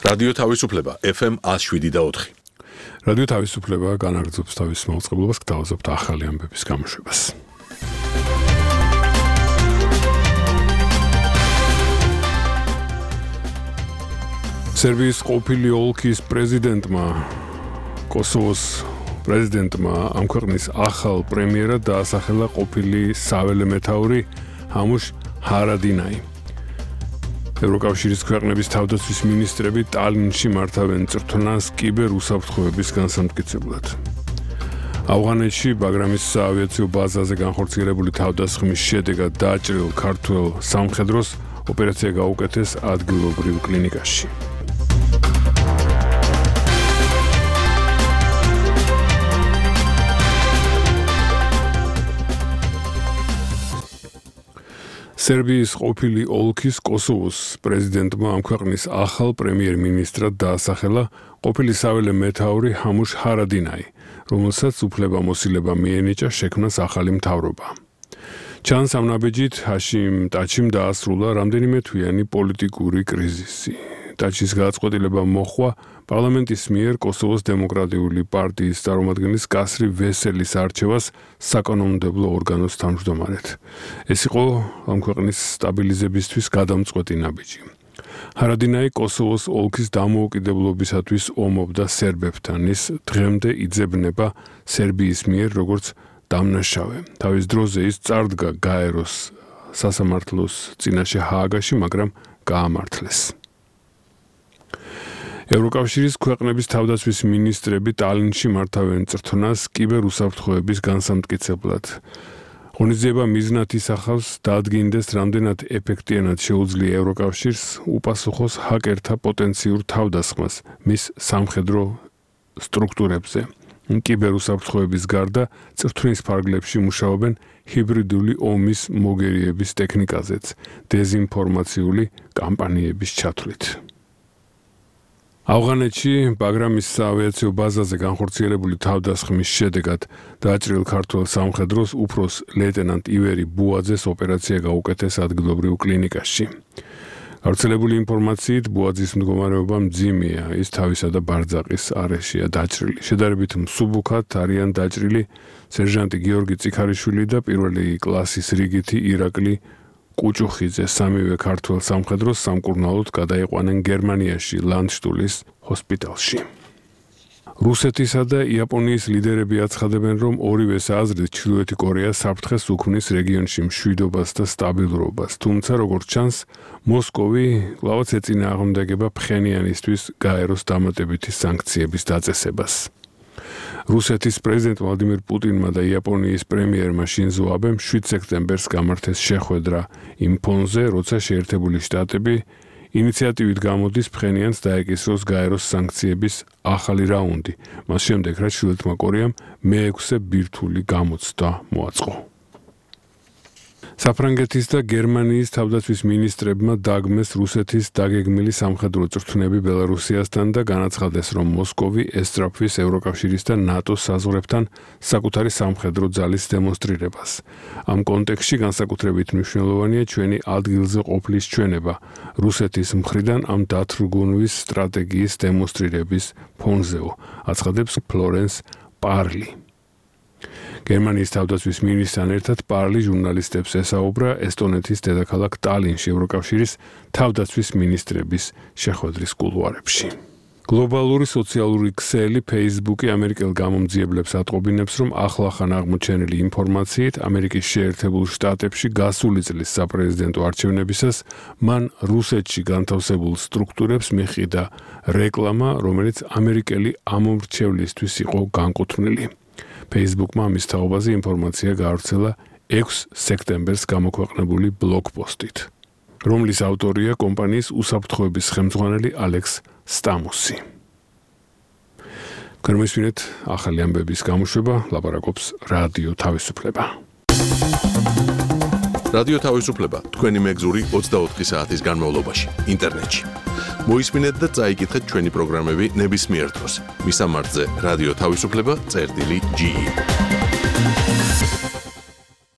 რადიო თავისუფლება FM 107.4. რადიო თავისუფლება განაგრძობს თავის მაუწყებლობას, გთავაზობთ ახალი ამბების გამოშვებას. სერბიის ყოფილი ოლქის პრეზიდენტმა, კოსოვოს პრეზიდენტმა ამ ქვეყნის ახალ პრემიერად დაასახელა ყოფილი საველე მეთაური ჰამუშ ჰარადინაი. ევროკავშირის ქვეყნების თავდაცვის მინისტრები ტალინში მართავენ წრთნას კიბერ უსაფრთხოების განსამტკიცებლად. ავღანეთში ბაგრამის საავიაციო ბაზაზე განხორციელებული თავდასხმის შედეგად დააჭრილ ქართველ სამხედროს ოპერაცია გაუკეთეს ადგილობრივ კლინიკაში. სერბიის ყოფილი ოლქის კოსოვოს პრეზიდენტმა ამ ქვეყნის ახალ პრემიერ-მინისტრად დაასახელა ყოფილი საველე მეთაური ჰამუშ ჰარადინაი, რომელსაც უფლებამოსილება მიენიჭა შექმნას ახალი მთავრობა. ჩანს ამ ნაბეჯით ჰაშიმ ტაჩიმ დაასრულა რამდენიმე თვიანი პოლიტიკური კრიზისი. ტაჩის გადაწყვეტილება მოჰყვა პარლამენტის მიერ კოსოვოს დემოკრატიული პარტიის წარმომადგენლის კასრი ვესელის არჩევას საკანონმდებლო ორგანოს თავმჯდომარედ. ეს იყო ამ ქვეყნის სტაბილიზებისთვის გადამწყვეტი ნაბიჯი. ჰარადინაი კოსოვოს ოლქის დამოუკიდებლობისათვის ომობდა სერბებთან, ის დღემდე იძებნება სერბიის მიერ როგორც დამნაშავე. თავის დროზე ის წარდგა გაეროს სასამართლოს წინაშე ჰააგაში, მაგრამ გაამართლეს. ევროკავშირის ქვეყნების თავდაცვის მინისტრები ტალინში მართავენ წრთნას კიბერ უსაფრთხოების განსამტკიცებლად. ღონისძიება მიზნად ისახავს დაადგინდეს რამდენად ეფექტიანად შეუძლია ევროკავშირს უპასუხოს ჰაკერთა პოტენციურ თავდასხმას მის სამხედრო სტრუქტურებზე. კიბერ უსაფრთხოების გარდა წრთნის ფარგლებში მუშაობენ ჰიბრიდული ომის მოგერიების ტექნიკაზეც, დეზინფორმაციული კამპანიების ჩათვლით. ავღანეთში ბაგრამის საავიაციო ბაზაზე განხორციელებული თავდასხმის შედეგად დააჭრილ ქართველ სამხედროს უფროს ლეიტენანტ ივერი ბუაძეს ოპერაცია გაუკეთეს ადგილობრივ კლინიკაში. გავრცელებული ინფორმაციით ბუაძის მდგომარეობა მძიმეა, ის თავისა და ბარძაყის არეშია დაჭრილი. შედარებით მსუბუქად არიან დაჭრილი სერჟანტი გიორგი წიქარიშვილი და პირველი კლასის რიგითი ირაკლი კუჭუხიძე. სამივე ქართველ სამხედროს სამკურნალოდ გადაიყვანენ გერმანიაში ლანდშტულის ჰოსპიტალში. რუსეთისა და იაპონიის ლიდერები აცხადებენ, რომ ორივეს აზრით ჩრდილოეთი კორეა საფრთხეს უქმნის რეგიონში მშვიდობას და სტაბილურობას. თუმცა, როგორც ჩანს, მოსკოვი კვლავაც ეწინააღმდეგება ფხენიანისთვის გაეროს დამატებითი სანქციების დაწესებას. რუსეთის პრეზიდენტ ვლადიმირ პუტინმა და იაპონიის პრემიერმა შინზო აბემ 7 სექტემბერს გამართეს შეხვედრა იმ ფონზე, როცა შეერთებული შტატები ინიციატივით გამოდის ფხენიანს დაეკისროს გაეროს სანქციების ახალი რაუნდი, მას შემდეგ რაც ჩრდილოეთმა კორეამ მე-6 ბირთვული გამოცდა მოაწყო. საფრანგეთის და გერმანიის თავდაცვის მინისტრებმა დაგმეს რუსეთის დაგეგმილი სამხედრო წრთნები ბელარუსიასთან და განაცხადეს, რომ მოსკოვი ესწრაფვის ევროკავშირის და ნატოს საზღვრებთან საკუთარი სამხედრო ძალის დემონსტრირებას. ამ კონტექსტში განსაკუთრებით მნიშვნელოვანია ჩვენი ადგილზე ყოფლის ჩვენება რუსეთის მხრიდან ამ დათრგუნვის სტრატეგიის დემონსტრირების ფონზეო, აცხადებს ფლორენს პარლი. გერმანიის თავდაცვის მინისტრთან ერთად პარლი ჟურნალისტებს ესაუბრა ესტონეთის დედაქალაქ ტალინში ევროკავშირის თავდაცვის მინისტრების შეხვედრის კულუარებში. გლობალური სოციალური ქსელი Facebook-ი ამერიკელ გამომძიებლებს ატყობინებს, რომ ახლახან აღმოჩენილი ინფორმაციით ამერიკის შეერთებულ შტატებში გასული წლის საპრეზიდენტო არჩევნებისას მან რუსეთში განთავსებულ სტრუქტურებს მიჰყიდა რეკლამა, რომელიც ამერიკელი ამომრჩევლისთვის იყო განკუთვნილი. Facebook-მა ამის თაობაზე ინფორმაცია გაავრცელა 6 სექტემბერს გამოქვეყნებული ბლოგპოსტით, რომლის ავტორია კომპანიის უსაფრთხოების ხელმძღვანელი ალექს სტამუსი. გერმანიის ახალი ამბების გამოშვება ლაპარაკობს რადიო თავისუფლება. რადიო თავისუფლება თქვენი მეგზური 24 საათის განმავლობაში ინტერნეტში. მოისმინეთ და წაიკითხეთ ჩვენი პროგრამები ნებისმიერ დროს. მისამართზე რადიო თავისუფლება წერტილი GE.